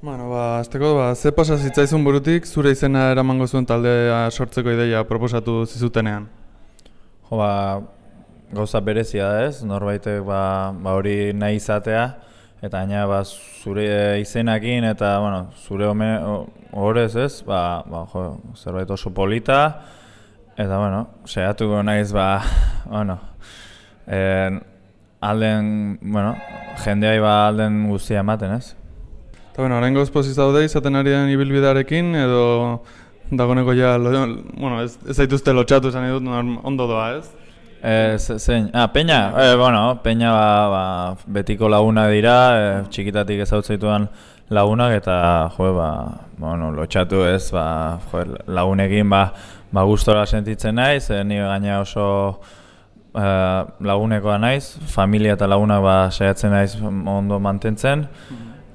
Azteko, ze pasa zitzaizun burutik zure izena eramango zuen taldea sortzeko ideia proposatu zizutenean? Gauza berezia da ez, norbaitek hori nahi izatea, eta gaina zure izenakin eta zure horrez ez, zerbait oso polita, eta saiatuko naiz jendeai alden guztia ematen ez. Eta oraingoz pozik zaude izaten ari den ibilbidearekin edo dagoeneko ez zaituzte lotxatu esan dut ondo doa ez? Zein? Peña? Peña betiko lagunak dira, txikitatik ezautzaituan lagunak eta lotxatu ez, lagunekin gustora sentitzen naiz, ni gaina oso lagunekoa naiz, familia eta lagunak saiatzen naiz ondo mantentzen.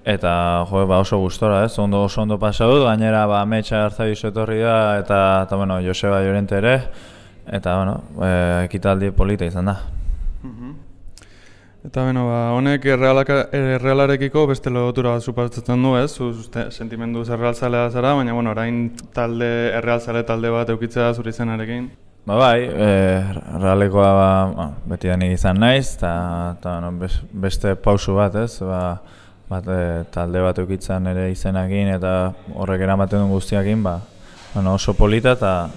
Eta oso gustora ez, oso ondo pasa dut, gainera Ametsa Arzabioz etorri da eta Joseba Llorente ere, eta ekitaldi polita izan da. Eta honek errealarekiko beste lotura bat suposatzen du ez, sentimendu errealzalea zara, baina orain errealzale talde bat eukitzea zure izenarekin. Errealekoa beti da nik izan naiz, eta beste pausu bat ez, talde bat eukitzen ere izenakin eta horrek eramaten duen guztiakin oso polita eta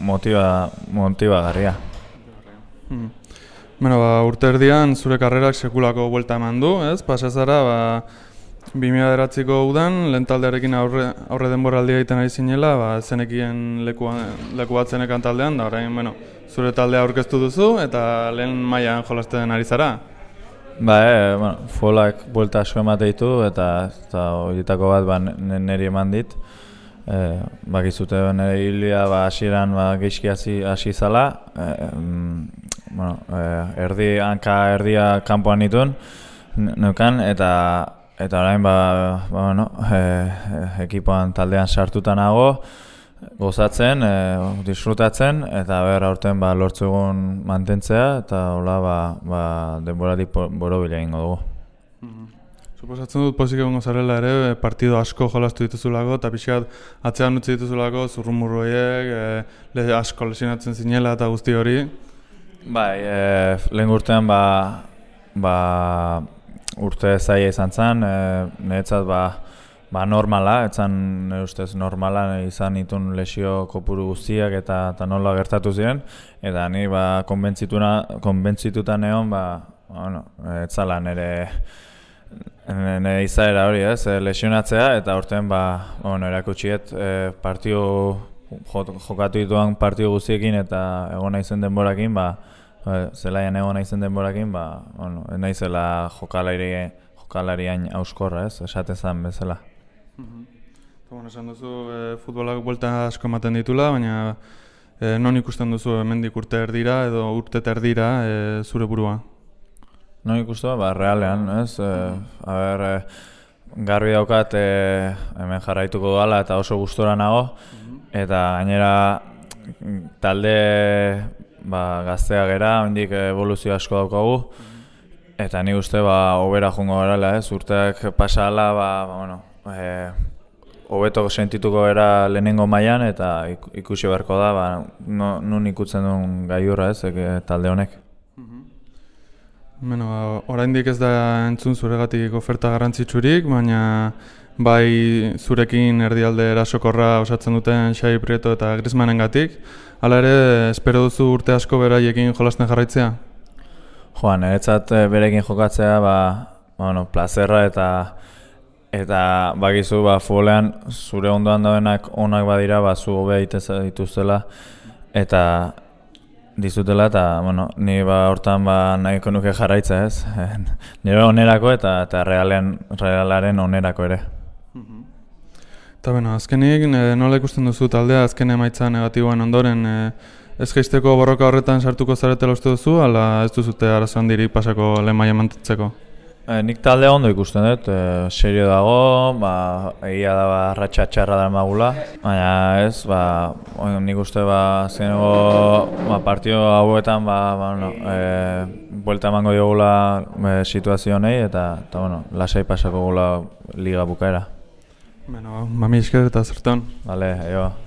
motibagarria. Urte erdian zure karrerak sekulako buelta eman du, ez? Pasa zara 2009ko udan lehen taldearekin aurre denboraldia egiten ari zinela, zenekien leku bat zenekan taldean, da orain zure taldea aurkeztu duzu eta lehen mailan jolasten ari zara. Folak buelta asko emate ditu eta horietako bat niri eman dit. Bakizute nire hilia hasieran geizki hasi zala. Hanka erdia kanpoan nituen neukan eta orain ekipoan taldean sartuta nago, gozatzen, disfrutatzen eta aurten lortzu egun mantentzea eta hola denboratik borobila egingo dugu. Suposatzen dut pozik egongo zarela ere, partido asko jolastu dituzulako eta pixkat atzean utzi dituzulako zurrumurroiek, asko lesionatzen zinela eta guzti hori. Lehen urtean urte zaila izan zen, niretzat normala, etzan nire ustez normala izan itun lesio kopuru guztiak eta nola gertatu ziren, eta ni konbentzituta neon, etzala nire izaera hori ez, lesionatzea, eta urtean erakutsiet jokatu dituan partio guztiekin eta egon naizen denborakin, zelaian egon naizen denborakin, naizela jokalarian auskorra ez, esatezan bezala. Esan duzu futbolak buelta asko ematen ditula, baina non ikusten duzu hemendik urte erdira edo urte erdira zure burua? Non ikustu, realean, ez? Garbi daukat hemen jarraituko dala eta oso gustora nago, eta gainera talde gaztea gera, hendik evoluzio asko daukagu, eta nik uste hobera joango garela, ez? Urteak pasa ala, hobeto sentituko era lehenengo mailan eta ikusi beharko da nun ikutzen duen gailurra ez, talde honek. Oraindik ez da entzun zuregatik oferta garrantzitsurik, baina bai zurekin erdialde erasokorra osatzen duten Xabi Prieto eta Griezmannengatik, hala ere espero duzu urte asko beraiekin jolasten jarraitzea? Niretzat berekin jokatzea plazerra eta bakizu futbolean zure ondoan daudenak onak badira zu hobe egiten dituztela eta dizutela eta ni hortan nahiko nuke jarraitza ez, nire onerako eta realaren onerako ere. Eta azkenik nola ikusten duzu taldea azken emaitza negatiboen ondoren ez jaisteko borroka horretan sartuko zaretela uste duzu, ala ez duzute arazo handirik pasako lehen maila mantentzeko? Nik taldea ondo ikusten dut, serio dago, egia da arratxa txarra da magula, baina ez, nik uste zenego partio hauetan buelta emango diogula situazio honei eta lasai pasako gula liga bukaera. Bueno, mami esker eta zertan. Vale, aio.